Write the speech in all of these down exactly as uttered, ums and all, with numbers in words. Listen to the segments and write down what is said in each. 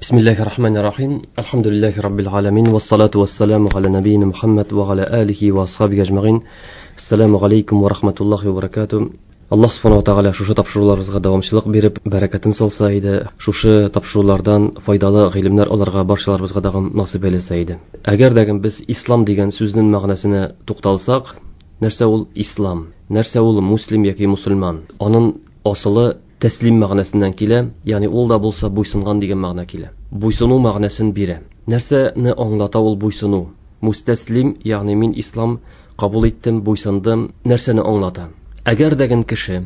Бисмиллахир рахманир рахим. Альхамдулиллахи раббил аламин вассалату вассаламу аля набийина Мухаммад ва аля алихи ва асхабихи ажмаин. Ассаламу алейкум ва рахматуллахи ва баракатуh. Аллаһ субхана ва тааля шушы тапшыруларыбызга дәвамчылык биреп, бәрәкәтен салса иде, шушы тапшырулардан файдалы гыйлемнәр аларга барчаларыбызга дагы насыйп әйләсә иде. Әгәр дә без ислам дигән сүзнең мәгънәсенә тукталсак, нәрсә ул ислам? Нәрсә ул муслим яки мусульман? Аның асылы тәслим мәгънәсеннән килә, ягъни ул да булса буйсынган дигән мәгънә килә. Буйсыну мәгънәсен бирә. Нәрсәне аңлата ул буйсыну? Мустәслим, ягъни мин ислам кабул иттем, буйсындым, нәрсәне аңлата? Әгәр дәген кеше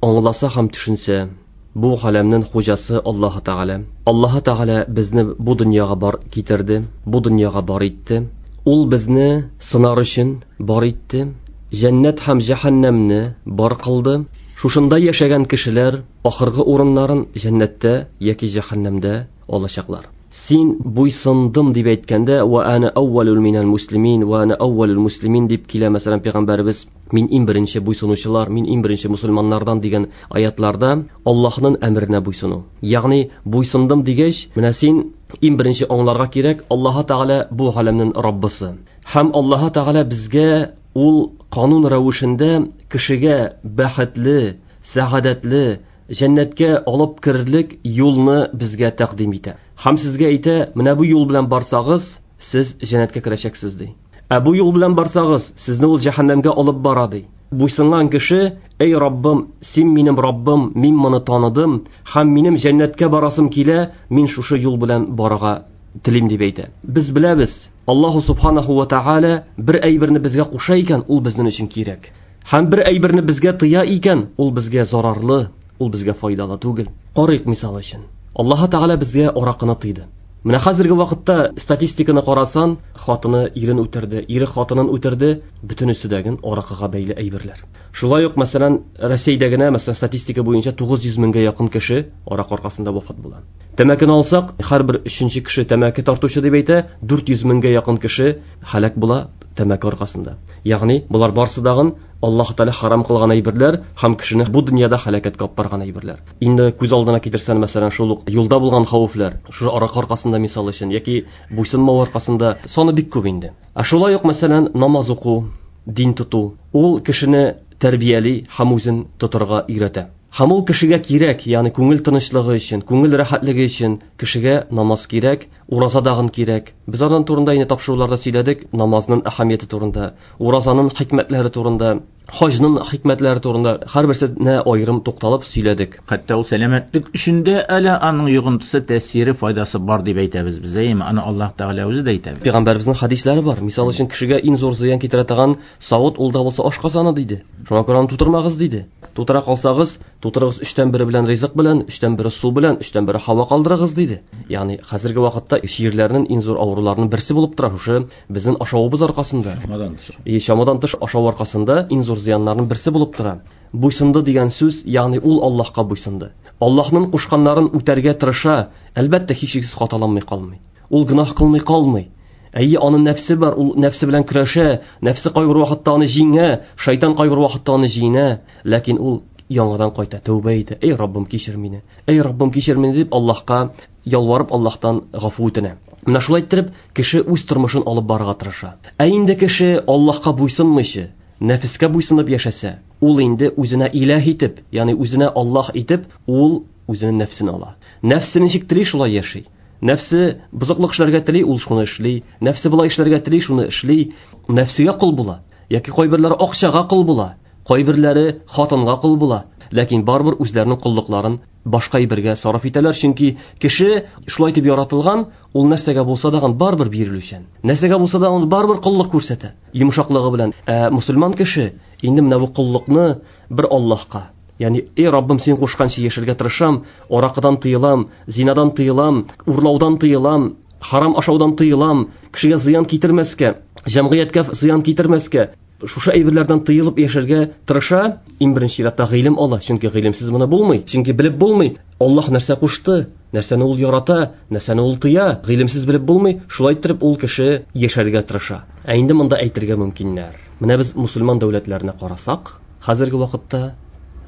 аңласа һәм төшенсә, бу галәмнең хуҗасы Аллаһ Тәгалә. Аллаһ Тәгалә безне бу дөньяга бар китерде, бу дөньяга бар итте. Ул безне сынар өчен бар итте. Җәннәт һәм җәһәннәмне бар кылды. Шушында яшәгән кешеләр ахыргы урыннарын җәннәттә яки җәһәннәмдә алачаклар. Син буйсындым дип әйткәндә, ва ана әүвәлул минәл муслимин, ва ана әүвәлул муслимин дип килә, мәсәлән, пәйгамбәребез, мин иң беренче буйсынучылар, мин иң беренче мусульманнардан дигән аятларда Аллаһның әмеренә буйсыну. Ягъни буйсындым дигәч, менә син иң беренче аңларга кирәк, Аллаһ Тәгалә бу галәмнең Раббысы. Һәм Аллаһ Тәгалә безгә ул канун рәвешендә кешегә бәхетле, сәгадәтле, җәннәткә алып керерлек юлны безгә тәкъдим итә. Һәм сезгә әйтә, менә бу юл белән барсагыз, сез җәннәткә керәчәксез ди. Ә бу юл белән барсагыз, сезне ул җәһәннәмгә алып бара ди. Буйсынган кеше, эй Раббым, син минем Раббым, мин моны таныдым, һәм минем җәннәткә барасым килә, мин шушы юл белән барырга телим дип әйтә. Без беләбез, Аллаһу субханаху ва тааля бер әйберне безгә куша икән, ул безнең өчен кирәк. Һәм бер әйберне безгә тыя икән, ул безгә зарарлы, ул безгә файдалы түгел. Карыйк мисал өчен. Аллаһ Тәгалә безгә аракыны тыйды. Менә хәзерге вакытта статистиканы карасан, хатыны ирен үтерде, ире хатынын үтерде, бөтенесе дәген аракыга бәйле әйберләр. Шулай ук, мәсәлән, Россиядә генә, мәсәлән, статистика буенча тугыз йөз меңгә якын кеше аракы аркасында вафат була. Тәмәкене алсак, һәрбер өченче кеше тәмәке тартучы дип әйтә, дүрт йөз меңгә якын кеше һәлак була тәмәке аркасында. Ягъни, булар барсы дагын Аллаһ Тәгалә харам кылган әйберләр һәм кешене бу дөньяда һәлакәткә алып барган әйберләр. Инде күз алдына китерсән, мәсәлән, шул ук юлда булган хәвефләр, шул аракы аркасында мисал өчен яки буйсынмау аркасында саны бик күп инде. Ә шулай ук, мәсәлән, намаз уку, дин тоту, ул кешене тәрбияли һәм үзен тотарга өйрәтә. Һәм ул кешегә кирәк, ягъни күңел тынычлыгы өчен, күңел рәхәтлеге өчен кешегә намаз кирәк, ураза дагын кирәк. Без аның турында инде тапшыруларда сөйләдек, намазның әһәмияте турында, уразаның хикмәтләре турында, хаҗның хикмәтләре турында һәрберсенә аерым тукталып сөйләдек. Хәтта ул сәламәтлек өчен дә әле аның йогынтысы, тәэсире, файдасы бар дип әйтәбез без, әйеме? Аны Аллаһ Тәгалә үзе дә әйтә. Пәйгамбәребезнең хәдисләре бар. Мисал өчен, кешегә иң зур зыян китерә торган савыт ул да булса ашказаны диде. Шуңа күрә аны тутырмагыз диде. Тутыра калсагыз, тутырыгыз өчтән бере белән ризык белән, өчтән бере су белән, өчтән бере һава калдырыгыз диде. Ягъни хәзерге вакытта чирләрнең иң зур авыруларының берсе булып тора шушы безнең ашавыбыз аркасында. Чамадан тыш. И чамадан тыш ашау аркасында иң зур зыяннарның берсе булып тора. Буйсынды дигән сүз, ягъни ул Аллаһка буйсынды. Аллаһның кушканнарын үтәргә тырыша, әлбәттә, һичшиксез хаталанмый калмый. Ул гөнаһ кылмый калмый. Әйе, аның нәфсе бар, ул нәфсе белән көрәшә, нәфсе кайбер вакытта аны җиңә, шайтан кайбер вакытта аны җиңә, ләкин ул яңадан кайта, тәүбә итә. Эй Раббым, кичер мине. Эй Раббым, кичер мине дип Аллаһка ялварып, Аллаһтан гафу үтенә. Менә шулай иттереп кеше үз тормышын алып барырга тырыша. Ә инде кеше Аллаһка буйсынмыйча, нәфескә буйсынып яшәсә, ул инде үзенә илаһ итеп, ягъни үзенә Аллаһ итеп, ул үзенең нәфсен ала. Нәфсе ничек тели, шулай яши. Нәфсе бозыклык эшләргә тели, ул шуны эшли. Нәфсе болай эшләргә тели, шуны эшли. Нәфсегә кол була. Яки кайберләре акчага кол була, кайберләре хатынга кол була. Ләкин барыбер үзләренең коллыкларын башка әйбергә сарыф итәләр, чөнки кеше шулай итеп яратылган, ул нәрсәгә булса да барыбер бирелүчән. Нәрсәгә булса да ул барыбер коллык күрсәтә, йомшаклыгы белән. Ә мусульман кеше инде менә бу коллыкны бер Аллаһка, ягъни эй Раббым, син кушканча яшәргә тырышам, аракыдан тыелам, зинадан тыелам, урлаудан тыелам, харам ашаудан тыелам, кешегә зыян китермәскә, җәмгыятькә зыян китермәскә, шушы әйберләрдән тыелып яшәргә тырыша. Иң беренче чиратта гыйлем ала, чөнки гыйлемсез моны булмый, чөнки белеп булмый. Аллаһ нәрсә кушты, нәрсәне ул ярата, нәрсәне ул тыя, гыйлемсез белеп булмый. Шулай иттереп ул кеше яшәргә тырыша. Ә инде монда әйтергә мөмкиннәр. Менә без мусульман дәүләтләренә карасак, хәзерге вакытта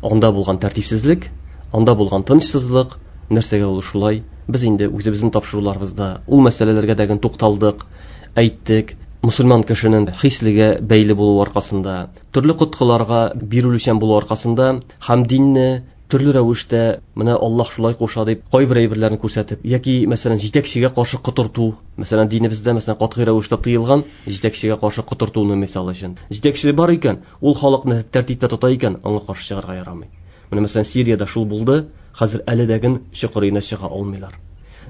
анда булган тәртипсезлек, анда булган тынычсызлык, нәрсәгә ул шулай Без инде үзебезнең тапшыруларыбызда ул мәсьәләләргә дә тукталдык, әйттек. Мусульман кешенең хислегә бәйле булуы аркасында, төрле коткыларга бирелүчән булуы аркасында һәм динне төрле рәвештә менә Аллаһ шулай куша дип кайбер әйберләрне күрсәтеп, яки мәсәлән җитәкчегә каршы котырту, мәсәлән динебездә мәсәлән катгый рәвештә тыелган җитәкчегә каршы котыртуны мисал өчен. Җитәкче бар икән, ул халыкны тәртиптә тота икән, аңа каршы чыгарга ярамый. Менә мәсәлән Сириядә шул булды, хәзер әле дә чокырына чыга алмыйлар.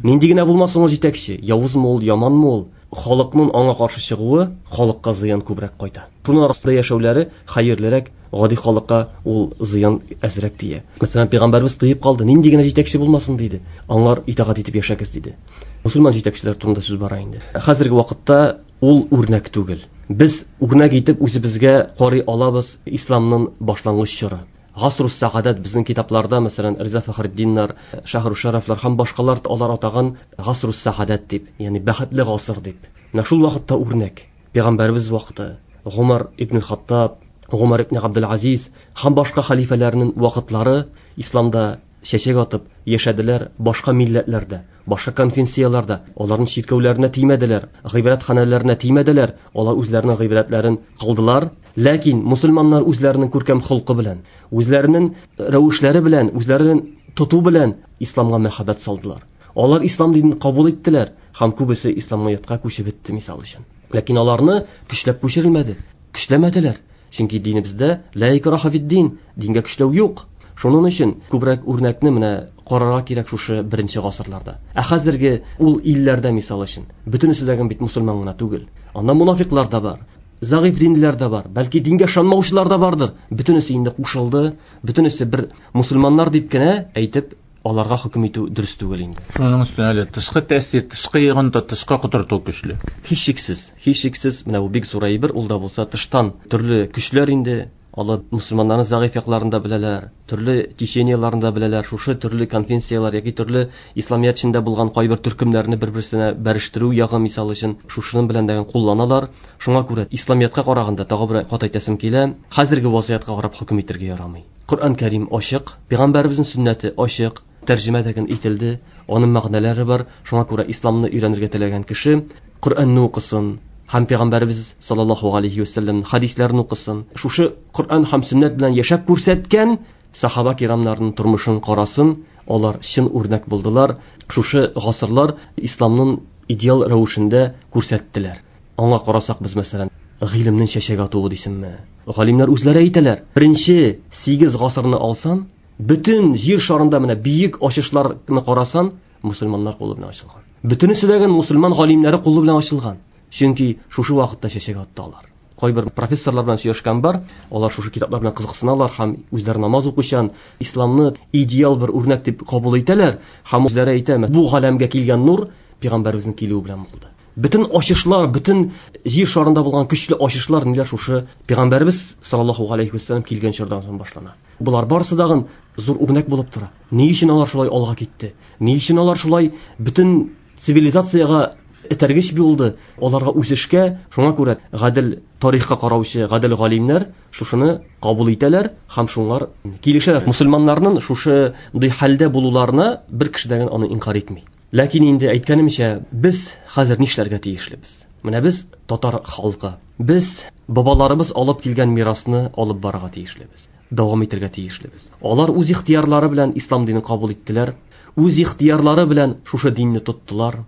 Нинди генә булмасын ул җитәкче, явызмы ул, яманмы ул, халыкның аңа каршы чыгуы халыкка зыян күбрәк кайта. Шуның арасында яшәүләре хәерлерәк, гади халыкка ул зыян әзрәк тия. Мәсәлән, пәйгамбәрбез тыеп калды, нинди генә җитәкче булмасын диде. Аңлар итагать итеп яшәгез диде. Мусульман җитәкчеләр турында сүз бара инде. Хәзерге вакытта ул үрнәк түгел. Без үрнәк итеп үзебезгә карый алабыз исламның башлангыч чоры. Гасрус сәгадәт безнең китапларда, мәсәлән, Риза Фәхретдиннар, Шаһру Шарафлар һәм башкалар алар атаган Гасрус сәгадәт дип, ягъни бәхетле гасыр дип. Менә шул вакытта үрнәк. Пәйгамбәрбез вакыты, Гумар ибн Хаттаб, Гумар ибн Абдул-Азиз һәм башка халифәләрнең вакытлары исламда чәчәк атып яшәделәр, башка милләтләрдә, башка конфессияләрдә, аларның чиркәүләренә тимәделәр, гыйбадәтханәләренә тимәделәр, алар үзләренең гыйбадәтләрен кылдылар. Ләкин мусульманнар үзләренең күркәм холкы белән, үзләренең рәвешләре белән, үзләренең тоту белән исламга мәхәббәт салдылар. Алар ислам динен кабул иттеләр һәм күбесе исламиятка күчеп бетте мисал өчен. Ләкин аларны көчләп күчерелмәде, көчләмәделәр. Чөнки динебездә ла икраха фид-дин, дингә көчләү юк. Шуның өчен күбрәк үрнәкне менә карарга кирәк шушы беренче гасырларда. Ә хәзерге ул илләрдә мисал өчен бөтенесе дә бит мусульман гына түгел. Анда мунафиклар да бар, зәгыйфь динлеләр дә бар, бәлки дингә ышанмаучылар да бардыр. Бөтенесе инде кушылды, бөтенесе бер мусульманнар дип кенә әйтеп аларга хөкем итү дөрес түгел инде. Шуның өстенә әле тышкы тәэсир, тышкы йогынты, тышкы котырту көчле. Һичшиксез, һичшиксез менә бу бик зур әйбер, ул да булса тыштан төрле көчләр инде. Алар мусульманнарның зәгыйфь якларын да беләләр, төрле течениеларын да беләләр, шушы төрле конфессияләр яки төрле исламият эчендә булган кайбер төркемнәрне бер-берсенә бәрештерү ягы мисал өчен шушының белән дә кулланалар. Шуңа күрә исламиятка караганда тагы бер кат әйтәсем килә, хәзерге вазгыятькә карап хөкем итәргә ярамый. Коръән Кәрим ачык, пәйгамбәребезнең сөннәте ачык, тәрҗемә дә ителде, аның мәгънәләре бар. Шуңа күрә исламны өйрәнергә теләгән кеше Коръәнне укысын, һәм пәйгамбәребез саллаллаһу алейхи ва саллям хадисләрен укысын. Шушы Коръән һәм сөннәт белән яшәп күрсәткән сахаба кирамнарының тормышын карасын, алар чын үрнәк булдылар. Шушы гасырлар исламның идеал рәвешендә күрсәттеләр. Аңа карасак без мәсәлән, гыйлемнең чәчәк атуы дисеңме? Галимнәр үзләре әйтәләр. Беренче сигез гасырны алсан, бөтен җир шарында менә бөек ачышларны карасан, мусульманнар кулы белән ачылган. Бөтенесе дә мусульман галимнәре кулы белән ачылган. Чөнки шушы вакытта чәчәк атты алар. Кайбер профессорлар белән сөйләшкән бар, алар шушы китаплар белән кызыксыналар һәм үзләре намаз укучан, исламны идеал бер үрнәк дип кабул итәләр һәм үзләре әйтә, бу галәмгә килгән нур пәйгамбәребезнең килүе белән булды. Бөтен ачышлар, бөтен җир шарында булган көчле ачышлар ниләр шушы пәйгамбәребез саллаллаһу алейхи ва саллям килгән чордан соң башлана. Булар барысы дагын зур үрнәк булып тора. Ни өчен алар шулай алга китте? Ни өчен алар шулай бөтен цивилизациягә этәргеч булды? Аларга үсешкә, шуңа күрә гадел тарихка караучы гадел галимнәр шушыны кабул итәләр һәм шуңар килешәләр. Мусульманнарның шушы хәлдә булуларына бер кеше дә аны инкар итми. Ләкин инде әйткәнемчә, без хәзер нишләргә тиешлебез? Менә без татар халкы, без бабаларыбыз алып килгән мирасны алып барырга тиешлебез, дәвам итәргә тиешлебез. Алар үз ихтыярлары белән ислам динен кабул иттеләр, үз ихтыярлары белән шушы динне тоттылар,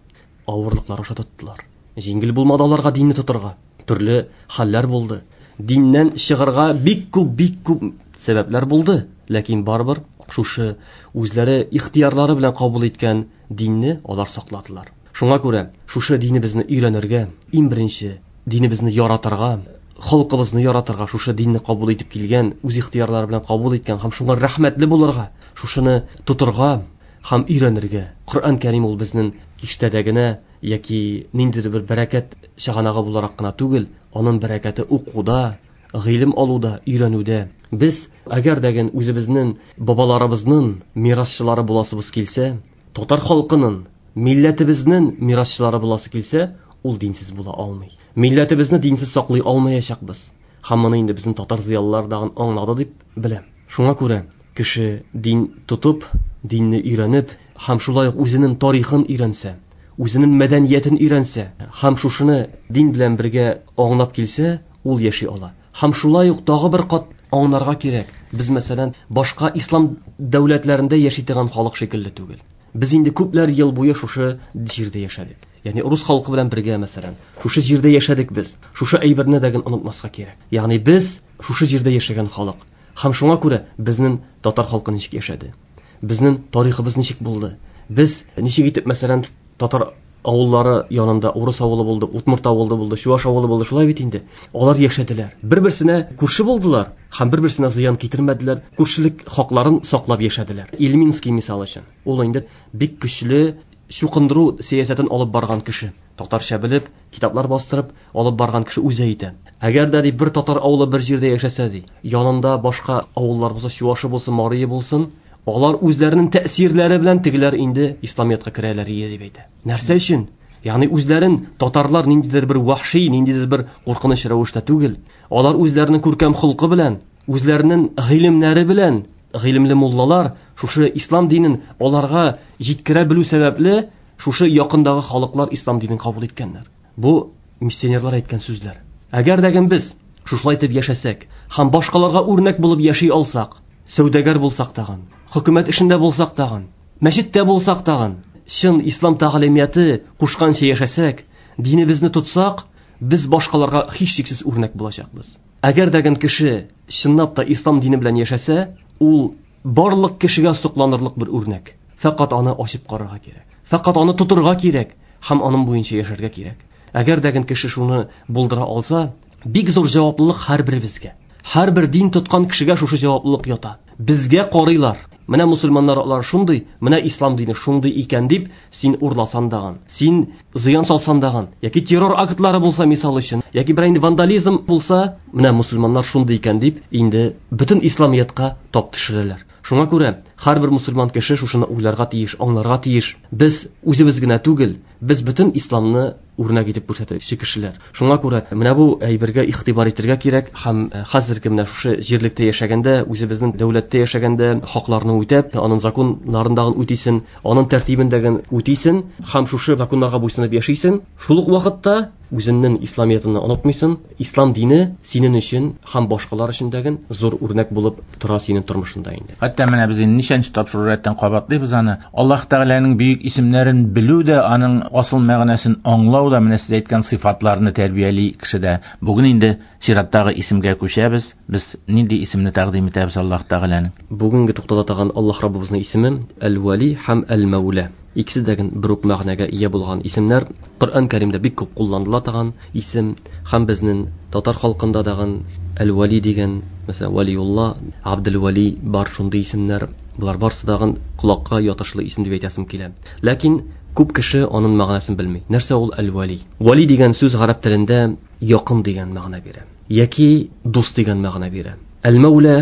авырлыклар аша тоттылар. Җиңел булмады аларга динне тотырга. Төрле хәлләр булды. Диннән чыгарга бик күп, бик күп сәбәпләр булды. Ләкин барыбер шушы үзләре ихтыярлары белән кабул иткән динне алар сакладылар. Шуңа күрә шушы динебезне өйрәнергә, иң беренче динебезне яратырга, халкыбызны яратырга, шушы динне кабул итеп килгән, үз ихтыярлары белән кабул иткән һәм шуңа рәхмәтле булырга, шушыны тотырга һәм өйрәнергә. Коръән Кәрим ул безнең киштәдә генә яки ниндидер бер бәрәкәт чыганагы буларак кына түгел, аның бәрәкәте укуда, гыйлем алуда, өйрәнүдә. Без әгәр дә үзебезнең бабаларыбызның мирасчылары буласыбыз килсә, татар халкының, милләтебезнең мирасчылары буласы килсә, ул динсез була алмый. Милләтебезне динсез саклый алмаячакбыз. Һәм моны инде безнең татар зыялылары дагын аңлады дип беләм. Шуңа күрә Кеше дин тотып, динне өйрәнеп, һәм шулай ук үзенең тарихын өйрәнсә, үзенең мәдәниятен өйрәнсә, һәм шушыны дин белән бергә аңлап килсә, ул яши ала. Һәм шулай ук тагы бер кат аңларга кирәк. Без, мәсәлән, башка ислам дәүләтләрендә яши торган халык шикелле түгел. Без инде күпләр ел буе шушы җирдә яшәдек. Ягъни рус халкы белән бергә, мәсәлән, шушы җирдә яшәдек без. Шушы әйберне дә онытмаска кирәк. Ягъни без шушы җирдә яшәгән халык. Һәм шуңа күрә безнең татар халкы ничек яшәде? Безнең тарихыбыз ничек булды? Без ничек итеп, мәсәлән, татар авыллары янында урыс авылы булды, удмурт авылы булды, чуаш авылы булды, шулай бит инде. Алар яшәделәр. Бер-берсенә күрше булдылар һәм бер-берсенә зыян китермәделәр, күршелек хакларын саклап яшәделәр. Ильминский мисал өчен. Ул инде бик көчле чукындыру сәясәтен алып барган кеше. Татарча белеп, китаплар бастырып алып барган кеше үзе әйтә. Әгәр дә ди бер татар авылы бер җирдә яшәсә ди, янында башка авыллар булса, чуашы булсын, марие булсын, алар үзләренең тәэсирләре белән тегеләр инде исламиятка керәләр дип әйтә. Нәрсә өчен? Ягъни үзләрен татарлар ниндидер бер вахши, ниндидер бер куркыныч рәвештә түгел. Алар үзләренең күркәм холкы белән, үзләренең гыйлемнәре белән, гыйлемле муллалар шушы ислам динен аларга җиткерә белү сәбәпле, шушы якындагы халыклар ислам динен кабул иткәннәр. Бу миссионерлар әйткән сүзләр. Әгәр дә без шушылай итеп яшәсәк һәм башкаларга үрнәк булып яши алсак, сәүдәгәр булсак тагын, хөкүмәт эшендә булсак тагын, мәчеттә булсак тагын, чын ислам тәгълимияте кушканча яшәсәк, динебезне тотсак, без башкаларга һичшиксез үрнәк булачакбыз. Әгәр дә кеше чынлап та ислам дине белән яшәсә, ул барлык кешегә сокланырлык бер үрнәк. Фәкать аны ачып карарга кирәк. Фәкать аны тотырга кирәк һәм аның буенча яшәргә кирәк. Әгәр дә кеше шуны булдыра алса, бик зур җаваплылык һәрберебезгә. Һәрбер дин тоткан кешегә шушы җаваплылык ята. Безгә карыйлар. Менә мусульманнар алар шундый, менә ислам дине шундый икән дип, син урласан даган, син зыян салсан даган, яки террор актлары булса мисал өчен, яки бер инде вандализм булса, менә мусульманнар шундый икән дип, инде бөтен исламиятка тап төшерәләр. Шуңа күрә һәрбер мусульман кеше шушыны уйларга тиеш, аңларга тиеш. Без үзебез генә түгел, без бөтен исламны үрнәк итеп күрсәтүче кешеләр. Шуңа күрә менә бу әйбергә игътибар итәргә кирәк һәм хәзерге менә шушы җирлектә яшәгәндә, үзебезнең дәүләттә яшәгәндә хакларны үтәп, аның законнарын дагын үтисен, аның тәртибен дагын үтисен һәм шушы законнарга буйсынып яшисен. Шул ук вакытта үзеңнең исламиятеңне онытмыйсың. Ислам дине синең өчен һәм башкалар өчен дәген зур үрнәк булып тора синең тормышыңда инде. Хәтта менә без инде ничәнче тапшыру рәттән кабатлыйбыз аны. Аллаһ Тәгаләнең бөек исемнәрен белү дә, аның асыл мәгънәсен аңлау да менә сез әйткән сыйфатларны тәрбияли кешедә. Бүген инде чираттагы исемгә күчәбез. Без нинди исемне тәкъдим итәбез Аллаһ Тәгаләнең? Бүгенге туктала торган Аллаһ Раббыбызның исеме Әл-Вали һәм Әл-Мәүлә. Икесе дә бер үк мәгънәгә ия булган исемнәр. Коръән Кәримдә бик күп кулланыла торган исем һәм безнең татар халкында дагын Әл-Вали дигән, мәсәлән, Валиулла, Абдул-Вали бар шундый исемнәр. Булар барсы дагын колакка ятышлы исем дип әйтәсем килә. Ләкин күп кеше аның мәгънәсен белми. Нәрсә ул Әл-Вали? Вали дигән сүз гарәп телендә якын дигән мәгънә бирә яки дус дигән мәгънә бирә. Әл-Мәүлә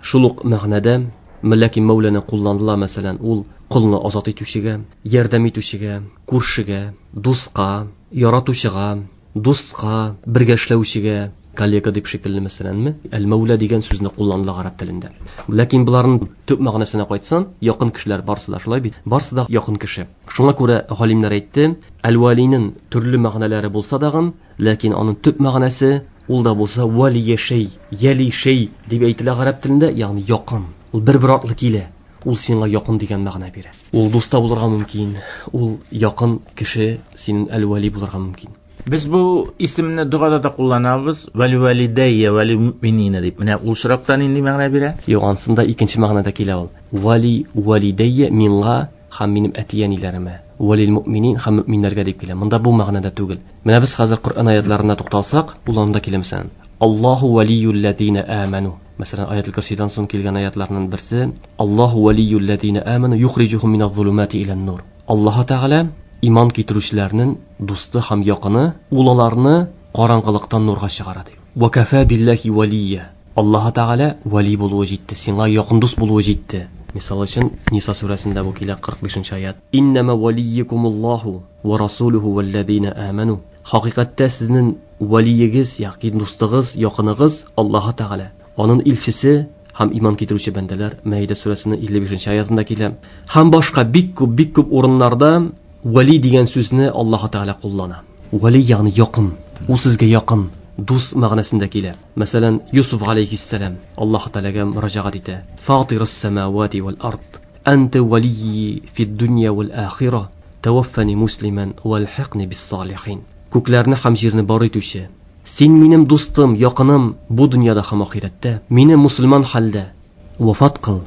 шул ук мәгънәдә, ләкин Мәүләне кулланыла, мәсәлән, ул колны азат итүчегә, ярдәм итүчегә, күршегә, дуска, яратучыга, дуска, бергә эшләүчегә, коллега дип шикелле мәсәләнме, Әл-Мәүлә дигән сүзне кулланыла гарәп телендә. Ләкин буларның төп мәгънәсенә кайтсаң, якын кешеләр барсы да шулай бит, барсы да якын кеше. Шуңа күрә галимнәр әйтте, Әл-Валинең төрле мәгънәләре булса дагын, ләкин аның төп мәгънәсе ул да булса вали шәй, яли шәй дип әйтелә гарәп телендә, ягъни якын. Ул бер-бер атлы килә. Ул сиңа якын дигән мәгънә бирә. Ул дуста булырга мөмкин, ул якын кеше синең Әл-Вали булырга мөмкин. Без бу исемне догада да кулланабыз. Вали валидайя, вали муъминина дип. Менә ул очракта нинди мәгънә бирә? Юк, ансында икенче мәгънәдә килә ул. Вали валидайя миңа һәм минем әти-әниләремә, валил муъминин һәм мөминнәргә дип килә. Монда бу мәгънәдә түгел. Менә без хәзер Коръән аятларына тукталсак, ул анда килә мәсәлән. Аллаһу валиюл лазина аману. Мәсәлән, аятул Курсидан соң килгән аятларның берсе Аллаһу валиюл лазина аману юхриҗухум миназ зулумати илан нур. Аллаһ Тәгалә иман китерүчеләрнең дусты һәм якыны, ул аларны караңгылыктан нурга чыгара ди. Ва кафа биллахи валия. Аллаһ Тәгалә вали булуы җитте, сиңа якын дус булуы җитте. Мисал өчен, Ниса сүрәсендә бу килә кырык бишенче аят. Иннама валиюкумуллаху ва расулуху валлазина аману. Хакыйкатьтә сезнең валиегез, ягъни дустыгыз, якыныгыз Аллаһ Тәгалә, аның илчесе Һәм иман китерүче бәндәләр Мәида сүрәсенең илле бишенче аятында килә. Һәм башка бик күп, бик күп урыннарда вали дигән сүзне Аллаһ Тәгалә куллана. Вали ягъни якын, ул сезгә якын, дус мәгънәсендә килә. Мәсәлән, Юсуф алейхиссалам Аллаһ Тәгаләгә мөрәҗәгать итә. Фатирус самавати вал ард, анта валийи фид дөнья вал ахира, таваффани муслиман валхиқни бис салихин. Күкләрне һәм җирне бар итүче, син минем дустым, якыным бу дөньяда һәм ахирәттә. Мине мусульман хәлдә вафат кыл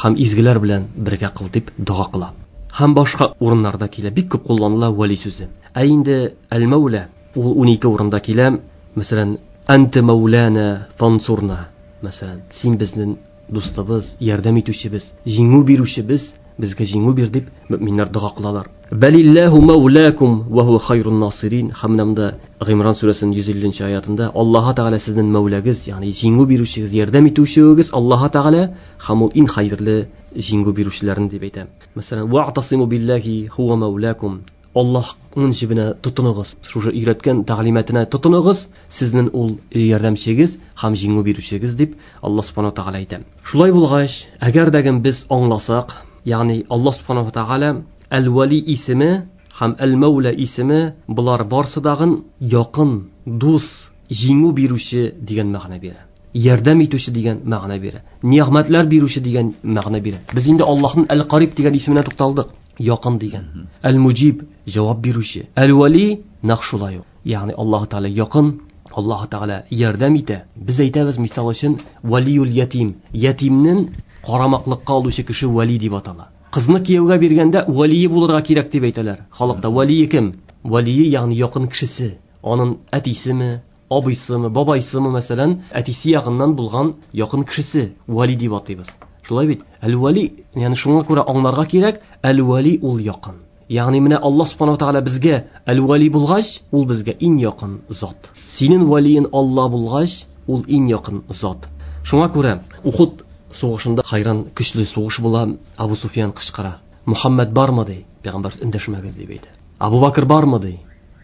һәм изгеләр белән бергә кыл дип дога кыла. Һәм башка урыннарда килә, бик күп кулланыла вали сүзе. Ә инде әл-Мәүлә ул унике урында килә. Мәсәлән, анта мәүлана фансурна. Мәсәлән, син безнең дустыбыз, ярдәм итүчебез, җиңү бирүчебез, безгә җиңү бир дип мөминнәр дога кылалар. Балиллаһу мәүлакум ва хуа хайрун насирин. Һәм монда Гыймран сүрәсенең йөз илленче аятында Аллаһ Тәгалә сезнең мәүләгез, ягъни җиңү бирүчегез, ярдәм итүчегез Аллаһ Тәгалә һәм ул иң хәерле җиңү бирүчеләрен дип әйтә. Мәсәлән, ва'тасиму биллаһи хуа мәүлакум. Аллаһның җибенә тотыныгыз, шушы өйрәткән тәгълиматына тотыныгыз, сезнең ул ярдәмчегез һәм җиңү бирүчегез дип Аллаһ Субханаһу ва Тәгалә әйтә. Шулай булгач, әгәр дә без аңласак, ягъни Аллаһ Субханаһу ва Тәгалә Әл-Вали исеме һәм Әл-Мәүлә исеме булар барсы дагын якын, дус, җиңү бирүче дигән мәгънә бирә. Ярдәм итүче дигән мәгънә бирә. Нигъмәтләр бирүче дигән мәгънә бирә. Без инде Аллаһның Әл-Кариб дигән исеменә тукталдык. Якын дигән. Әл-Муҗиб җавап бирүче. Әл-Вали нәкъ шулай ук. Ягъни Аллаһ Тәгалә якын, Аллаһ Тәгалә ярдәм итә. Без әйтәбез, мисал өчен, валиюл ятим. Ятимнең карамаклыкка алучы кеше вали дип атала. Кызны кияүгә биргәндә валие булырга кирәк дип әйтәләр. Халыкта валие кем? Валие ягъни якын кешесе. Аның әтисеме, абыйсымы, бабайсымы, мәсәлән, әтисе ягыннан булган якын кешесе вали дип атыйбыз. Шулай бит? Әл-Вали, ягъни шуңа күрә аңларга кирәк, Әл-Вали ул якын. Ягъни менә Аллаһ Субханаһу ва Тәгалә безгә Әл-Вали булгач, ул безгә иң якын зат. Синең валиең Аллаһ булгач, ул иң якын зат. Шуңа күрә Ухуд сугышында хайран көчле сугыш була, Абу Суфиян кычкыра. Мухаммад бармы ди? Пәйгамбәр эндәшмәгез дип әйтә. Абу Бакр бармы ди?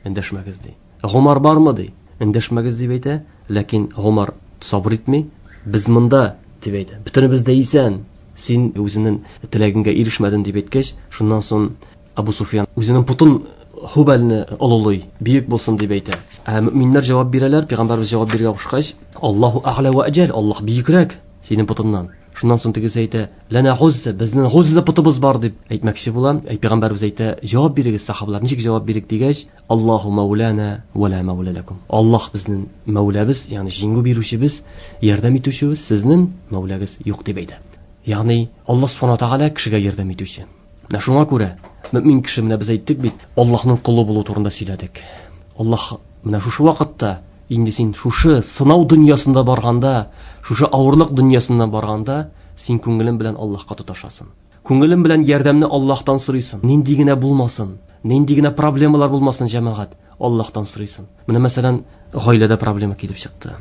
Эндәшмәгез ди. Гомар бармы ди? Эндәшмәгез дип әйтә. Ләкин Гомар сабыр итми. Без монда дип әйтә. Бөтенебез дә исән. Син үзеңнең теләгеңгә ирешмәдең дип әйткәч, шуннан соң Абу Суфиян үзенең путын Хубалны олылый, бөек булсын дип әйтә. Ә мөминнәр җавап бирәләр, пәйгамбәрбез җавап бирергә кушкач, Аллаһу әгълә ва әҗәл, Аллаһ бөекрәк синең путыннан. Шуннан соң тегесе әйтә, ләнә гузза, безнең гузза путыбыз бар дип әйтмәкче була. Әй пәйгамбәрбез әйтә, җавап бирегез сахабалар, ничек җавап бирик дигәч, Аллаһу мәүлана ва ла мәүлә ләкум. Аллаһ безнең мәүләбез, ягъни җиңү бирүчебез, ярдәм итүчебез, сезнең мәүләгез юк дип әйтә. Ягъни Аллаһ Субханаһу ва Тәгалә кешегә ярдәм итүче. Менә шуңа күрә мөмин кеше, менә без әйттек бит, Аллаһның колы булу турында сөйләдек. Аллаһ менә шушы вакытта инде син шушы сынау дөньясында барганда, шушы авырлык дөньясында барганда, син күңелең белән Аллаһка тоташасың. Күңелең белән ярдәмне Аллаһтан сорыйсың. Нинди генә булмасын, нинди генә проблемалар булмасын, җәмәгать, Аллаһтан сорыйсың. Менә мәсәлән, гаиләдә проблема килеп чыкты.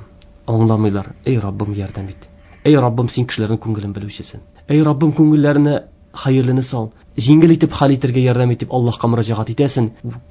Аңламыйлар. Эй Раббым, ярдәм ит. Эй Раббым, син кешеләрнең күңелен белүчесең. Эй Раббым, күңелләренә хәерлене сал. Җиңел итеп хәл итәргә ярдәм итеп Аллаһка мөрәҗәгать итәсең.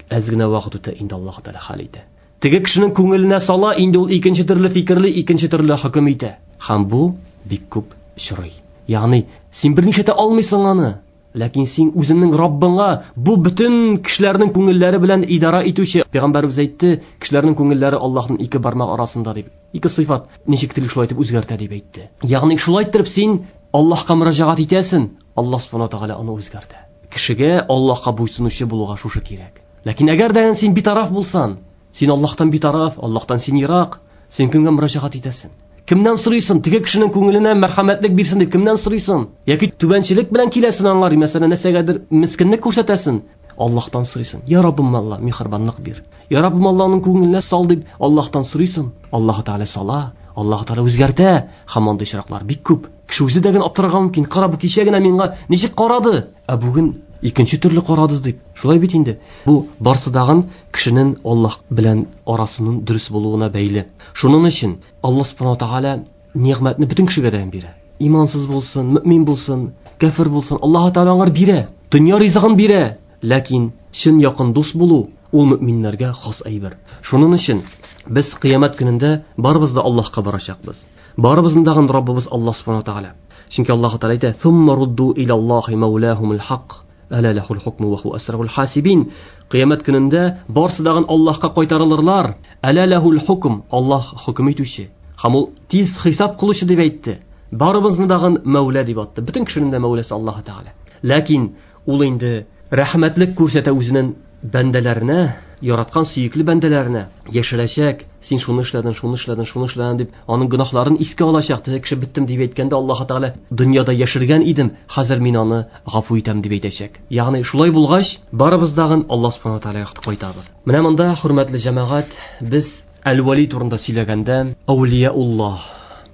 Әз генә вакыт үтә, инде Аллаһ Тәгалә хәл итә. Теге кешенең күңеленә сала, инде ул икенче төрле фикерли, икенче төрле хөкем итә. Һәм бу бик күп очрый. Ягъни син берничә итә алмыйсың аны, ләкин син үзеңнең Раббыңа, бу бөтен кешеләрнең күңелләре белән идара итүче, пәйгамбәребез әйтте, кешеләрнең күңелләре Аллаһның ике бармак арасында дип. Ике сыйфат ничек тели шулай итеп үзгәртә дип әйтте. Ягъни шулай итеп син Аллаһка мөрәҗәгать итәсең, Аллаһ Субханаһу ва Тәгалә аны үзгәртә. Кешегә Аллаһка буйсынучы булуга шушы кирәк. Ләкин әгәр дә син битараф булсаң, син Аллаһтан битараф, Аллаһтан син ерак, син кемгә мөрәҗәгать итәсең? Кемнән сорыйсың? Теге кешенең күңеленә мәрхәмәтлек бирсен дип кемнән сорыйсың? Яки түбәнчелек белән киләсең аңар, мәсәлән, нәрсәгәдер мискинлек күрсәтәсең, Аллаһтан сорыйсың. Я Раббым, Алла, миһербанлык бир. Я Раббым, Аллаһның күңеленә сал дип Аллаһтан сорыйсың. Аллаһ Тәгалә сала, Аллаһ Тәгалә үзгәртә. Һәм андый очраклар бик күп. Кеше үзе дә генә аптырарга мөмкин. Кара, бу кичә генә миңа ничек карады, ә бүген икенче төрле карады дип. Шулай бит инде. Бу барсы дагын кешенең Аллаһ белән арасының дөрес булуына бәйле. Шуның өчен Аллаһ Субханаһу ва Тәгалә нигъмәтне бөтен кешегә дә бирә. Имансыз булсын, мөмин булсын, кәфер булсын, Аллаһ Тәгалә аңар бирә. Дөнья ризыгын бирә. Ләкин чын якын дус булу ул мөминнәргә хас әйбер. Шуның өчен без кыямәт көнендә барыбыз да Аллаһка барачакбыз. Барыбызның да Раббыбыз Аллаһ субхана тәгалә. Чөнки Аллаһ Тәгалә әйтә: "Сумма рудду илаллаһи маулахумул хак, ала лахул хукму ва хуа асрарул хасибин." Кыямәт көнендә барсы дагын Аллаһка кайтарылырлар. Ала лахул хукм, Аллаһ хөкем итүче һәм ул тиз хисап кылучы дип әйтте. Барыбызны дагын Мәүлә дип атты. Бөтен кешенең дә Мәүләсе Аллаһ Тәгалә. Ләкин ул инде рәхмәтлек күрсәтә үзенең бәндәләренә, яраткан сөекле бәндәләренә. Яшерәчәк, син шуны эшләдең, шуны эшләдең, шуны эшләдең дип, аның гөнаһларын искә алачак. Теге кеше беттем дип әйткәндә Аллаһ Тәгалә дөньяда яшергән идем, хәзер мин аны гафу итәм дип әйтәчәк. Ягъни шулай булгач, барыбыз дагын Аллаһ субхана тәгаләгә кайтабыз. Менә монда, хөрмәтле җәмәгать, без Әл-Вали турында сөйләгәндә Әүлияуллаһ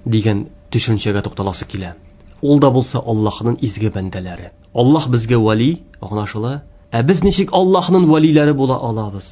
дигән төшенчәгә тукталасы килә. Ул да булса Аллаһның изге бәндәләре. Аллаһ безгә вали, аңлашыла. Ә без ничек Аллаһның валиләре була алабыз?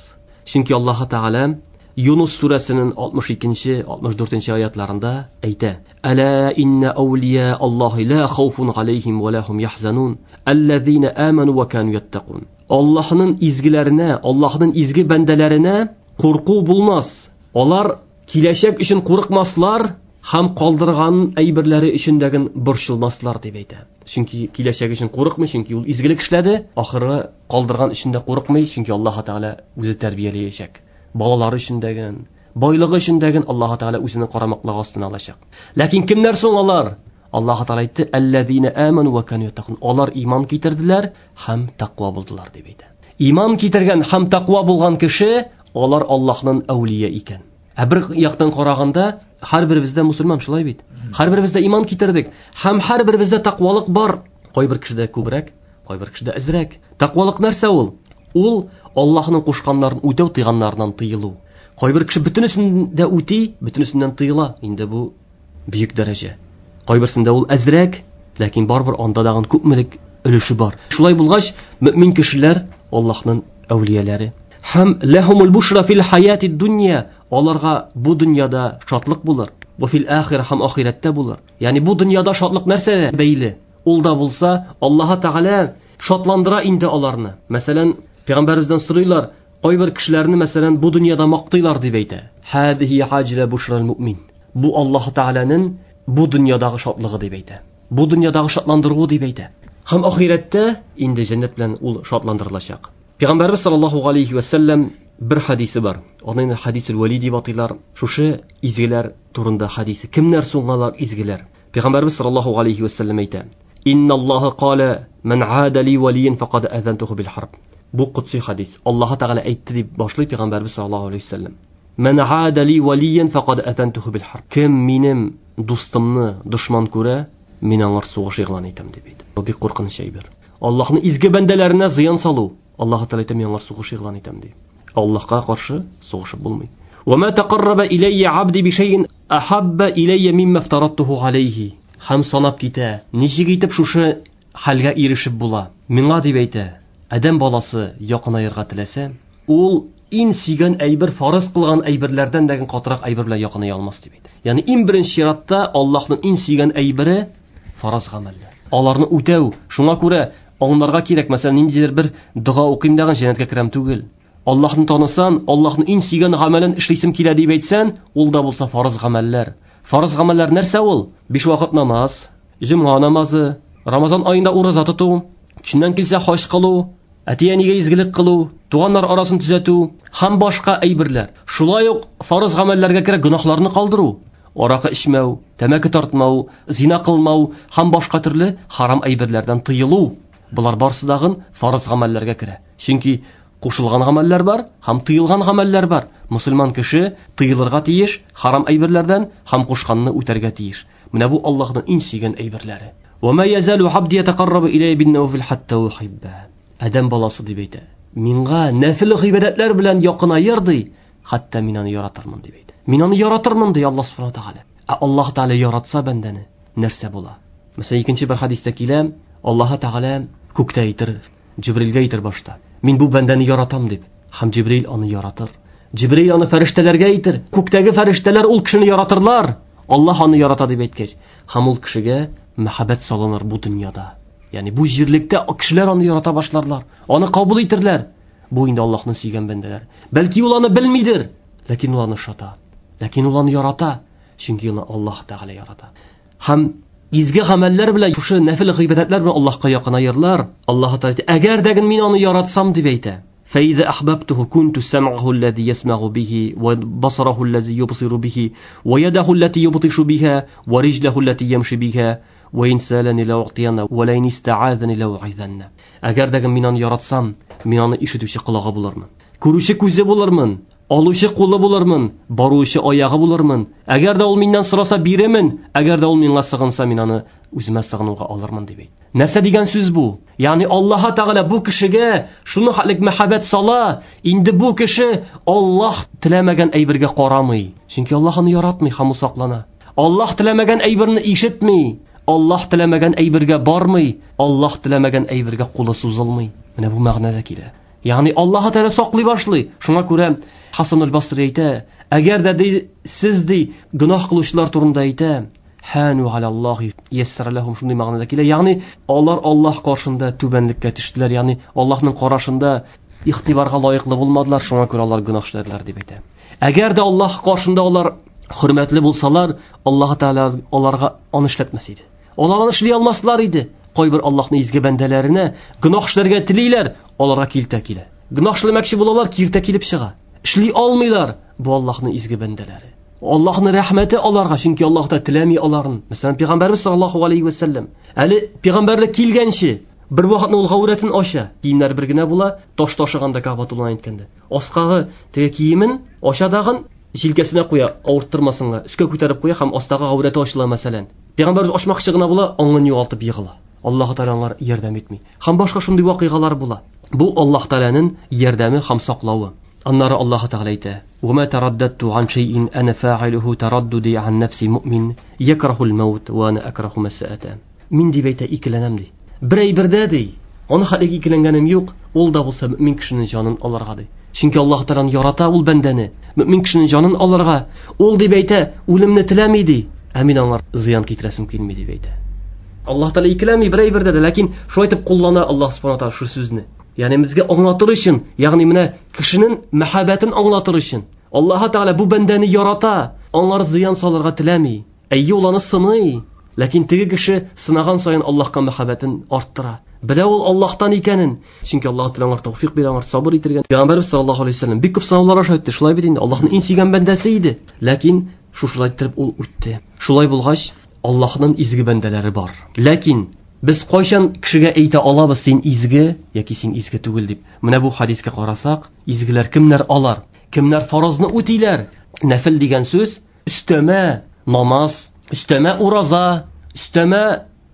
Чөнки Аллаһ Тәгалә Юнус сүрәсенең алтмыш икенче, алтмыш дүртенче аятларында әйтә: "Әла инна әүлия Аллаһи ла хауфун алейхим ва ла хум яхзанун, аллазина аману ва кану яттакун." Аллаһның изгеләренә, Аллаһның изге бәндәләренә курку булмас. Алар киләчәк өчен курыкмаслар һәм калдырган әйберләре өчен дәген борчылмаслар дип әйтә. Чөнки киләчәк өчен курыкмый, чөнки ул изгелек эшләде, ахыры калдырган өчен дә курыкмый, чөнки Аллаһ Тәгалә үзе тәрбияләячәк. Балалары өчен дәген, байлыгы өчен дәген Аллаһ Тәгалә үзенең карамаклыгы астына алачак. Ләкин кемнәр соң алар? Аллаһ Тәгалә әйтте: "Аллазина аману ва кану яттакун." Алар иман китерделәр һәм тәкъва булдылар дип әйтә. Иман китергән һәм тәкъва булган кеше, алар Аллаһның әүлия икән. Ә бер яктан караганда, һәрберебездә мусульман, шулай бит. Һәрберебездә иман китердек һәм һәрберебездә тәкъвалык бар. Кайбер кешедә күбрәк, кайбер кешедә әзрәк. Тәкъвалык нәрсә ул? Ул Аллаһның кушканнарын үтәү, тыйганнарыннан тыелу. Кайбер кеше бөтенесен дә үти, бөтенесеннән тыела. Инде бу бөек дәрәҗә. Кайберсендә ул әзрәк, ләкин барыбер анда дагын күпмелек өлеше бар. Шулай булгач, мөмин кешеләр Аллаһның әүлияләре. Һәм ләһумул бушра фил хаяти дөнья, аларга бу дөньяда шатлык булыр, бу фил ахира һәм ахирәттә булыр. Ягъни бу дөньяда шатлык нәрсәгә бәйле? Ул да булса Аллаһ Тәгалә шатландыра инде аларны. Мәсәлән, пәйгамбәребездән сорыйлар, кайбер кешеләрне мәсәлән бу дөньяда мактыйлар дип әйтә. Хадихи хаҗила бушрал муъмин. Бу Аллаһ Тәгаләнең бу дөньядагы шатлыгы дип әйтә. Бу дөньядагы шатландыруы дип әйтә. Һәм ахирәттә инде җәннәт белән ул шатландырылачак. Пәйгамбәрбез саллаллаһу алейхи ва саллям бер хадисе бар. Аны инде хадисул вали дип атыйлар. Шушы изгеләр турында хадисе. Кемнәр соң алар изгеләр? Пәйгамбәрбез саллаллаһу алейхи ва саллям әйтә: "Инналлаһа кала ман аада ли валиян фақад азантуху бил харб." Бу кудси хадис. Аллаһ Тәгалә әйтте дип башлый Пәйгамбәрбез саллаллаһу алейхи ва саллям. "Ман аада ли валиян фақад азантуху бил харб." Кем минем дустымны дошман күрә, мин аңар сугыш игълан итәм дип әйтте. Бу бик куркыныч әйбер. Аллаһның изге бәндәләренә зыян салу. Аллаһ Тәгалә әйтә, мин аңар сугыш игълан итәм ди. Аллаһка каршы сугышып булмый. Ва ма тaqarraba иляйя абди би шайин ахабба иляйя мимма афтараттуху алейхи. Һәм санап китә. Ничек итеп шушы хәлгә ирешеп була? Миңа дип әйтә, адәм баласы якынаерга теләсә, ул иң сөйгән әйбер, фарыз кылган әйберләрдән дә катырак әйбер белән якыная алмас дип әйтә. Ягъни иң беренче чиратта Аллаһның иң сөйгән әйбере фарыз гамәлләр. Аларны үтәү. Шуңа күрә аңларга кирәк, мәсәлән, ниндидер бер дога укыйм дигән җәннәткә керәм түгел. Аллаһны танысан, Аллаһның иң сөйгән гамәлен эшлисем килә дип әйтсән, ул да булса фарыз гамәлләр. Фарыз гамәлләр нәрсә ул? Биш вакыт намаз, җомга намазы, Рамазан аенда ураза тоту, көченнән килсә хаҗ кылу, әти-әнигә изгелек кылу, туганнар арасын төзәтү һәм башка әйберләр. Шулай ук фарыз гамәлләргә керә гөнаһларны калдыру, аракы эчмәү, тәмәке тартмау, зина кылмау һәм башка төрле харам әйберләрдән тыелу. Булар барысы дагын фарыз гамәлләргә керә. Чөнки кушылган гамәлләр бар һәм тыелган гамәлләр бар. Мусульман кеше тыелырга тиеш харам әйберләрдән һәм кушканны үтәргә тиеш. Менә бу Аллаһның иң сөйгән әйберләре. Ва ма язалу абди ятaqarrabu иляйя бин-навафил хатта ухибба. Адәм баласы дип әйтә. Миңа нәфил гыйбадәтләр белән якынаер ди, хәтта мин аны яратырмын дип әйтә. Мин аны яратырмын ди Аллаһ субхана тәгалә. Ә Аллаһ Тәгалә яратса бәндәне нәрсә була? Мәсәлән, икенче бер хадистә килә, Аллаһ Тәгалә күктә әйтер, Җибрилгә әйтер башта. Мин бу бәндәне яратам дип. Һәм Җибрил аны яратыр. Җибрил аны фәрештәләргә әйтер. Күктәге фәрештәләр ул кешене яратырлар. Аллаһ аны ярата дип әйткәч, һәм ул кешегә мәхәббәт салыныр бу дөньяда. Ягъни бу җирлектә кешеләр аны ярата башларлар, аны кабул итерләр. Бу инде Аллаһның сөйгән бәндәләр. Бәлки ул аны белмидер, ләкин ул аны ошата. Ләкин ул аны ярата, чөнки аны Аллаһ Тәгалә ярата. Һәм изге гамәлләр белән, шушы нәфил гыйбадәтләр белән Аллаһка якынаерлар. Аллаһ Тәгалә әгәр дә мин аны яратсам дип әйтә. فإذا أحببته كنت سمعه الذي يسمع به وبصره الذي يبصر به ويده التي يبطش بها ورجله التي يمشي بها وإن سألني لأعطينه ولئن استعاذني لأعيذنه. Әгәр дә мин аны яратсам, мин аны ишетүче колагы булырмын, күрүче күзе булырмын, алучы кулы булырмын, баручы аягы булырмын. Әгәр дә ул миннән сораса бирермен, әгәр дә ул миңа сыгынса, мин аны үземә сыгынуга алырмын дип әйтте. Нәрсә дигән сүз бу? Ягъни Аллаһ Тәгалә бу кешегә шуны хәтлек мәхәббәт сала, инде бу кеше Аллаһ теләмәгән әйбергә карамый, чөнки Аллаһ аны яратмый һәм саклана. Аллаһ теләмәгән әйберне ишетми, Аллаһ теләмәгән әйбергә бармый, Аллаһ теләмәгән әйбергә кулы сузылмый. Менә бу мәгънәдә килә. Ягъни Аллаһ Тәгалә саклый башлый. Шуңа күрә Хасан аль-Басри әйтә, әгәр дә ди, сез ди гөнаһ кылучылар турында әйтә, хану алаллаһи яссара лахум, шундый мәгънәдә килә. Ягъни алар Аллаһ каршында түбәнлеккә төштеләр, ягъни Аллаһның карашында игътибарга лаеклы булмадылар, шуңа күрә алар гөнаһ эшләделәр дип әйтә. Әгәр дә Аллаһ каршында алар хөрмәтле булсалар, Аллаһ Тәгалә аларга аны эшләтмәс иде. Алар аны эшли алмаслар иде. Кайбер Аллаһның изге бәндәләренә гөнаһ эшләргә телиләр, аларга килтә килә. Гөнаһ эшләмәкче булалар, киртә килеп чыга. Эшли алмыйлар. Бу Аллаһның изге бәндәләре. Аллаһның рәхмәте аларга, чөнки Аллаһ та теләми аларын. Мәсәлән, Пәйгамбәрбез саллаллаһу алейхи ва саллям әле пәйгамбәрлек килгәнче бер вакытны ул гаурәтен ача, киемнәр бер генә була, таш ташыганда Кәгъбәтулланы әйткәндә. Аскагы теге киемен ача дагын җилкәсенә куя, авырттырмасынга, өскә күтәреп куя һәм астагы гаурәте ачыла мәсәлән. Пәйгамбәрбез ачмакчы гына була, аңын югалтып егыла. Аллаһ Тәгалә аңар ярдәм итми. Һәм башка шундый вакыйгалар була. Бу Аллаһ Тәгаләнең ярдәме һәм саклавы. Аннары Аллаһ Тәгалә әйтә: "Ва тараддату ан шай'ин ана фа'илуху тараддуди ан нафси му'мин якрахул маут ва ана акраху масаата." Мин дип әйтә, икеләнәм ди. Бер әйбердә ди, аны хәлеге икеләнгәнем юк, ул да булса мөмин кешенең җанын алырга ди. Чөнки Аллаһ Тәгалә ярата ул бәндәне, мөмин кешенең җанын алырга. Ул дип әйтә, үлемне теләми ди, ә мин аңар зыян китерәсем килми дип әйтә. Аллаһ Тәгалә икеләнми бер әйбердә дә, ләкин шулай итеп куллана Аллаһ Субхану ва Тәгалә шу сүзне. Ягъни безгә аңлатыр өчен, ягъни менә кешенең мәхәббәтен аңлатыр өчен. Аллаһ Тәгалә бу бәндәне ярата, аңар зыян салырга теләми. Әйе, ул аны сыный, ләкин теге кеше сынаган саен Аллаһка мәхәббәтен арттыра. Белә ул Аллаһтан икәнен. Чөнки Аллаһ Тәгалә аңар тәүфик бирә, аңар сабыр итергән. Пәйгамбәрбез саллаллаһу алейһи ва саллям бик күп сынаулар аша үтте. Шулай бит инде, Аллаһның иң сөйгән бәндәсе иде. Ләкин шушылай иттереп ул үтте. Шулай булгач, Аллаһның изге бәндәләре бар. Ләкин без кайчан кешегә әйтә алабыз син изге яки син изге түгел дип? Менә бу хадискә карасак, изгеләр кемнәр алар? Кемнәр фарызны үтиләр? Нәфил дигән сүз өстәмә намаз, өстәмә ураза, өстәмә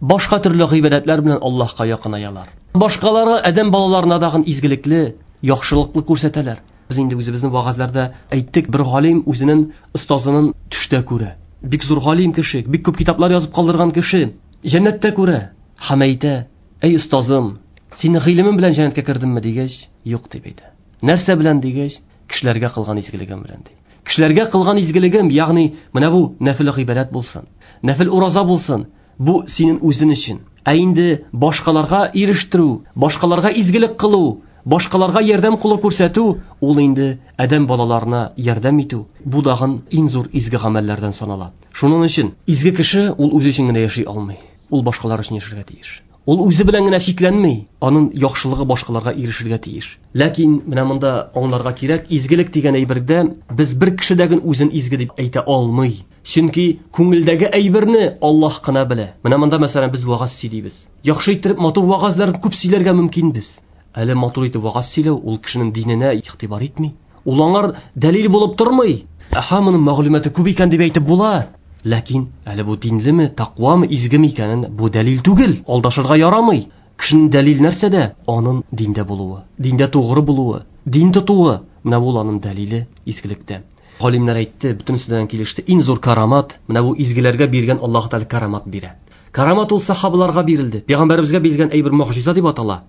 башка төрле гыйбадәтләр белән Аллаһка якынаялар. Башкалары адәм балаларына дагын изгелекле, яхшылыклы күрсәтәләр. Без инде үзебезнең вагазларда әйттек, бер галим үзенең остазының төштә күрә. Бик зур галим кеше, бик күп китаплар язып калдырган кеше, җәннәттә күрә. Һәм әйтә: "Әй остазым, син гыйлемең белән җәннәткә кердеңме?" дигәч, "Юк" дип әйтә. Нәрсә белән дигәч, кешеләргә кылган изгелегем белән ди. Кешеләргә кылган изгелегем, ягъни менә бу нәфил гыйбадәт булсын, нәфил ураза булсын, бу синең үзең өчен. Ә инде башкаларга ирештерү, башкаларга изгелек кылу, башкаларга ярдәм кулы күрсәтү, ул инде адәм балаларына ярдәм итү, бу дагын иң зур изге гамәлләрдән санала. Шуның өчен изге кеше ул үзе өчен генә яши алмый. Ул башкалар өчен яшәргә тиеш. Ул үзе белән генә чикләнми, аның яхшылыгы башкаларга ирешергә тиеш. Ләкин менә монда аңларга кирәк, изгелек дигән әйбердә без бер кешедәген үзен изге дип әйтә алмый. Чөнки күңелдәге әйберне Аллаһ кына белә. Менә монда мәсәлән без вагаз сөйлибез. Яхшы итеп матур вагазларны күп сөйләргә мөмкинбез. Әле матур итеп вагаз сөйләү ул кешенең диненә игътибар итми. Ул аңар дәлил булып тормый. Аһа, моның мәгълүматы күп икән дип әйтеп була. Ләкин әле бу динлеме, тәкъвамы, изгеме икәнен бу дәлил түгел. Алдашырга ярамый. Кешенең дәлил нәрсәдә? Аның диндә булуы, диндә тугры булуы, дин тотуы. Менә бу аның дәлиле изгелектә. Галимнәр әйтте, бөтенесе килеште. Иң зур карамат, менә бу изгеләргә биргән Аллаһ Тәгалә карамат бирә. Карамат ул сахабаларга бирелде. Пәйгамбәребезгә бирелгән әйбер мөгъҗиза дип атала.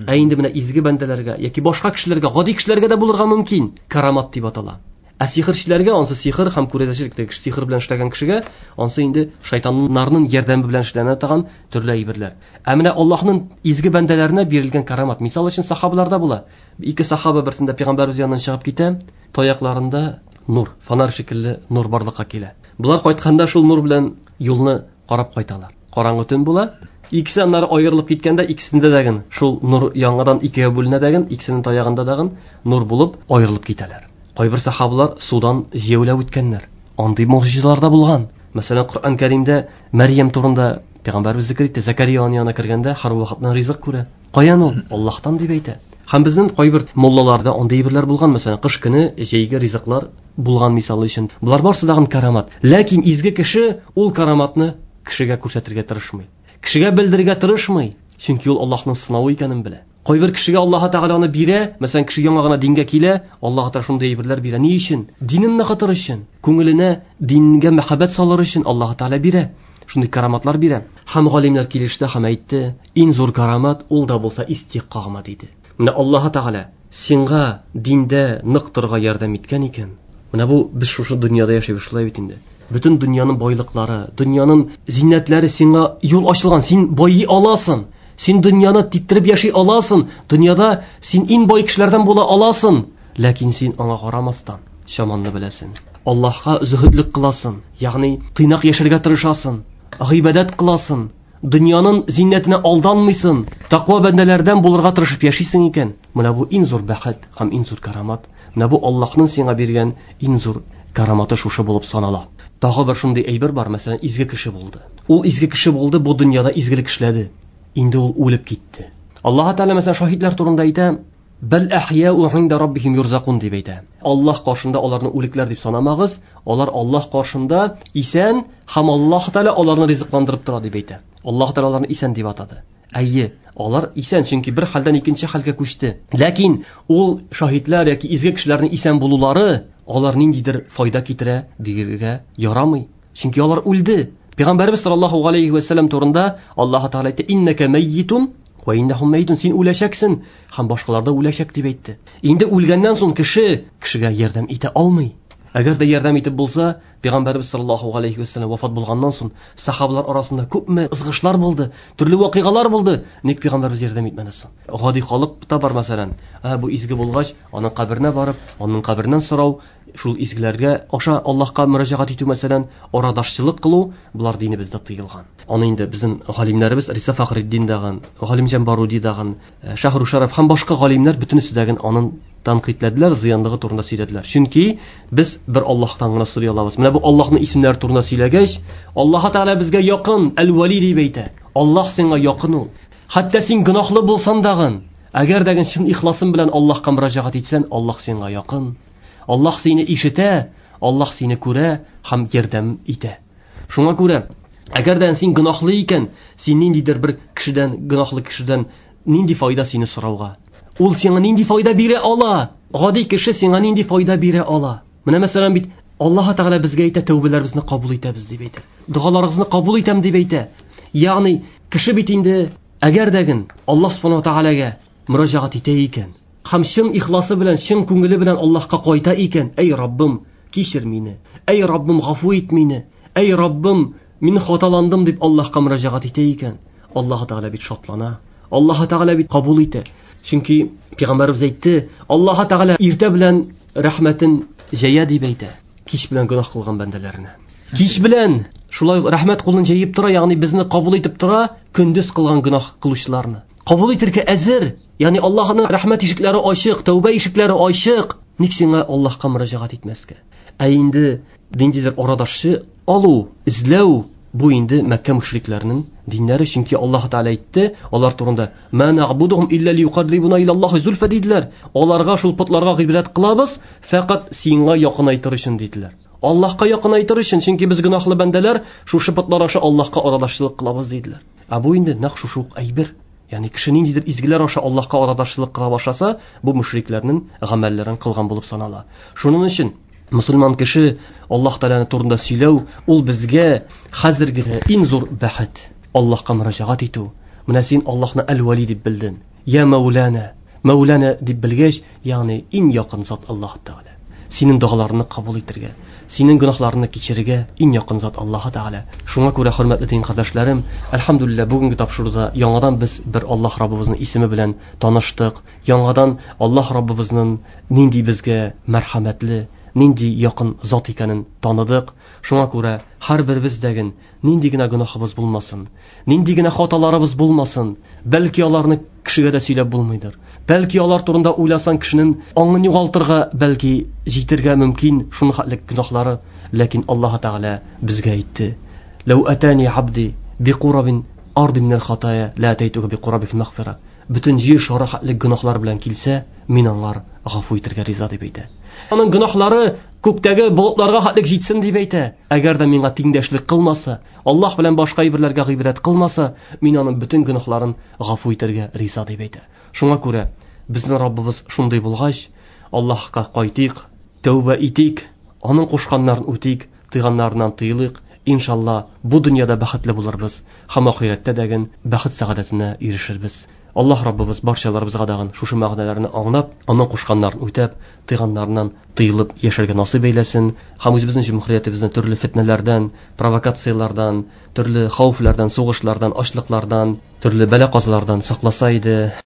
Ә инде менә изге бәндәләргә яки башка кешеләргә, гади кешеләргә дә булырга мөмкин. Карамат дип атала. Ә сихерчеләргә ансы сихер һәм күрәзәчелек кеше сихер белән эшләгән кешегә ансы инде шайтаннарның ярдәме белән эшләнә торган төрле әйберләр. Ә менә Аллаһның изге бәндәләренә бирелгән карамат, мисал өчен сахабаларда була. Ике сахаба берсендә пәйгамбәребез яныннан чыгып китә, таякларында нур, фонарь шикелле нур барлыкка килә. Булар кайтканда шул нур белән юлны карап кайталар. Караңгы төн була. Икесе аннары аерылып киткәндә икесендә дәген шул нур яңадан икегә бүленә дәген, икесенең таягында дәген нур булып аерылып китәләр. Кайбер сахабалар судан җәяүләп үткәннәр. Андый могҗизалар да булган. Мәсәлән, Коръән Кәримдә Мәрьям турында пәйгамбәребез зикр итте. Закария аның янына кергәндә һәр вакытны ризык күрә. Каян ул? Аллаһтан дип әйтә. Һәм безнең кайбер муллаларда андый әйберләр булган. Мәсәлән, кыш көне җәйге ризыклар булган мисал өчен. Булар барсы дагын карамат. Ләкин изге кеше ул караматны кешегә күрсәтергә тырышмый. Кешегә белдерергә тырышмый. Чөнки ул Аллаһның сынавы икәнен белә. Кайбер кешегә Аллаһ Тәгалә аны бирә, мәсәлән, кеше яңа гына дингә килә, Аллаһ Тәгалә шундый әйберләр бирә. Ни өчен? Динен ныгытыр өчен, күңеленә дингә мәхәббәт салыр өчен Аллаһ Тәгалә бирә. Шундый караматлар бирә. Һәм галимнәр килеште һәм әйтте, иң зур карамат ул да булса истиқама диде. Менә Аллаһ Тәгалә сиңа диндә нык торырга ярдәм иткән икән. Менә бу без шушы дөньяда яшибез шулай бит инде. Бөтен дөньяның байлыклары, дөньяның зиннәтләре сиңа юл ачылган, син байый аласың. Син дөньяны типтереп яши аласың, дөньяда син иң бай кешеләрдән була аласың, ләкин син аңа карамастан чаманны беләсең. Аллаһка зөһедлек кыласың, ягъни тыйнак яшәргә тырышасың, гыйбадәт кыласың, дөньяның зиннәтенә алданмыйсың, тәкъва бәндәләрдән булырга тырышып яшисең икән. Менә бу иң зур бәхет һәм иң зур карамат. Менә бу Аллаһның сиңа биргән иң зур караматы шушы булып санала. Тагы бер шундый әйбер бар, мәсәлән, изге кеше булды. Ул изге кеше булды, бу дөньяда изгелек эшләде. Инде ул үлеп китте. Аллаһ Тәгалә мәсәлән шаһитлар турында әйтә, бал ахяу инда раббихим юрзакун дип әйтә. Аллаһ каршында аларны үлекләр дип санамагыз, алар Аллаһ каршында исән һәм Аллаһ Тәгалә аларны ризыкландырып тора дип әйтә. Аллаһ Тәгалә аларны исән дип атады. Әйе, алар исән, чөнки бер хәлдән икенче хәлгә күчте. Ләкин ул шаһитлар яки изге кешеләрнең исән булулары алар ниндидер файда китерә дигергә ярамый. Чөнки алар үлде. Пәйгамбәребез саллаллаһу алейхи ва саллям турында Аллаһ Тәгалә әйтте: "Иннәкә мәйитун ва иннәһум мәйитун." Син үләчәксең һәм башкалар да үләчәк дип әйтте. Инде үлгәннән соң кеше кешегә ярдәм итә алмый. Әгәр дә ярдәм итеп булса, Пәйгамбәребез саллаллаһу алейхи ва саллям вафат булганнан соң сахабалар арасында күпме ызгышлар булды, төрле вакыйгалар булды. Ник Пәйгамбәребез ярдәм итмәде соң? Гади халык та бар мәсәлән, ә бу изге булгач, аның каберенә барып, аның кабереннән сорау, шул изгеләргә аша Аллаһка мөрәҗәгать итү мәсәлән, арадашчылык кылу, булар динебездә тыелган. Аны инде безнең галимнәребез Риса Фахретдин дагын, Галимҗан Баруди дагын, Шаһру Шараф һәм башка галимнәр бөтенесе дәген анын тәнкыйтьләделәр, зыянлыгы турында сөйләделәр. Чөнки без бер Аллаһтан гына сорый алабыз. Менә бу Аллаһның исемнәре турында сөйләгәч, Аллаһ Тәгалә безгә якын, Әл-Вали дип әйтә. Аллаһ сиңа якын ул. Хәтта син гөнаһлы булсаң дагын, әгәр дә чын ихласың белән Аллаһка мөрәҗәгать итсәң, Аллаһ сиңа якын. Аллаһ сине ишетә, Аллаһ сине күрә һәм ярдәм итә. Шуңа күрә, әгәр дә син гөнаһлы икән, син ниндидер бер кешедән, гөнаһлы кешедән нинди файда сине сорауга? Ул сиңа нинди файда бирә ала? Гади кеше сиңа нинди файда бирә ала? Менә мәсәлән бит Аллаһ Тәгалә безгә әйтә, тәүбәләребезне кабул итәбез дип әйтә. Догаларыгызны кабул итәм дип әйтә. Ягъни кеше бит инде әгәр дәген Аллаһ Субханаһу Тәгаләгә мөрәҗәгать итә икән, һәм чын ихласы белән, чын күңеле белән Аллаһка кайта икән, әй Раббым, кичер мине. Әй Раббым, гафу ит мине. Әй Раббым, мин хаталандым дип Аллаһка мөрәҗәгать итә икән, Аллаһ Тәгалә бит шатлана. Аллаһ Тәгалә бит кабул итә. Чөнки Пәйгамбәребез әйтте, Аллаһ Тәгалә иртә белән рәхмәтен җәя дип әйтә, кич белән гөнаһ кылган бәндәләренә. Кич белән шулай рәхмәт кулын җәеп тора, ягъни безне кабул итеп тора, көндез кылган гөнаһ кылучыларны. Кабул итәргә әзер, ягъни Аллаһның рәхмәт ишекләре ачык, тәүбә ишекләре ачык. Ник сиңа Аллаһка мөрәҗәгать итмәскә? Ә инде ниндидер арадашчы алу, эзләү бу инде Мәккә мөшрикләренең диннәре, чөнки Аллаһ Тәгалә әйтте алар турында: "Ма нагбудухум илля лиюқаррибуна илаллаһи зульфа" диделәр. Аларга, шул потларга гыйбадәт кылабыз, фәкать сиңа якынайтыр өчен диделәр. Аллаһка якынайтыр өчен, чөнки без гөнаһлы бәндәләр, шушы потлар аша Аллаһка арадашчылык кылабыз диделәр. Ә бу инде нәкъ шушы ук әйбер. Ягъни кеше ниндидер изгеләр аша Аллаһка арадашчылык кыла башласа, бу мөшрикләрнең гамәлләрен кылган булып санала. Шуның өчен мусульман кеше Аллаһ Тәгалә турында сөйләү ул безгә хәзерге иң зур бәхет. Аллаһка мөрәҗәгать итү. Менә син Аллаһны Әл-Вали дип белдең. Я Мәүлана, Мәүлана дип белгәч, ягъни иң якын зат Аллаһ Тәгалә. Синең догаларыңны кабул итәргә, синең гөнаһларыңны кичерергә иң якын зат Аллаһ Тәгалә. Шуңа күрә, хөрмәтле дин кардәшләрем, әлхәмдүлилләһ, бүгенге тапшыруда яңадан без бер Аллаһ Раббыбызның исеме белән таныштык. Яңадан Аллаһ Раббыбызның нинди безгә мәрхәмәтле, нинди якын зат икәнен таныдык. Шуңа күрә һәрберебездәген нинди генә гөнаһыбыз булмасын, нинди генә хаталарыбыз булмасын, бәлки аларны кешегә дә сөйләп булмыйдыр. Бәлки алар турында уйласаң кешенең аңын югалтырга, бәлки җитергә мөмкин шуны хәтлек гөнаһлары. Ләкин Аллаһ Тәгалә безгә әйтте: "Ләү атани абди биқурабин арди минәл хатая ла атайтуга биқурабил мәгъфира." Бөтен җир шары хәтлек гөнаһлар белән килсә, мин аңар гафу итәргә риза дип әйтә. Аның гөнаһлары күктәге болытларга хәтлек җитсен дип әйтә. Әгәр дә миңа тиңдәшлек кылмаса, Аллаһ белән башка әйберләргә гыйбадәт кылмаса, мин аның бөтен гөнаһларын гафу итәргә риза дип әйтә. Шуңа күрә безнең Раббыбыз шундый булгач, Аллаһка кайтыйк, тәүбә итик, аның кушканнарын үтик, тыйганнарыннан тыелыйк. Иншалла, бу дөньяда бәхетле булырбыз һәм ахирәттә дә бәхет сәгадәтенә ирешербез. Аллаһ Раббыбыз барчаларыбызга дагын шушы мәгънәләрне аңлап, аның кушканнарын үтәп, тыйганнарыннан тыелып яшәргә насыйп әйләсен һәм үзебезнең җөмһүриятебезне төрле фитнәләрдән, провокацияләрдән, төрле хәвефләрдән, сугышлардан, ачлыклардан, төрле бәла-казалардан сакласа иде.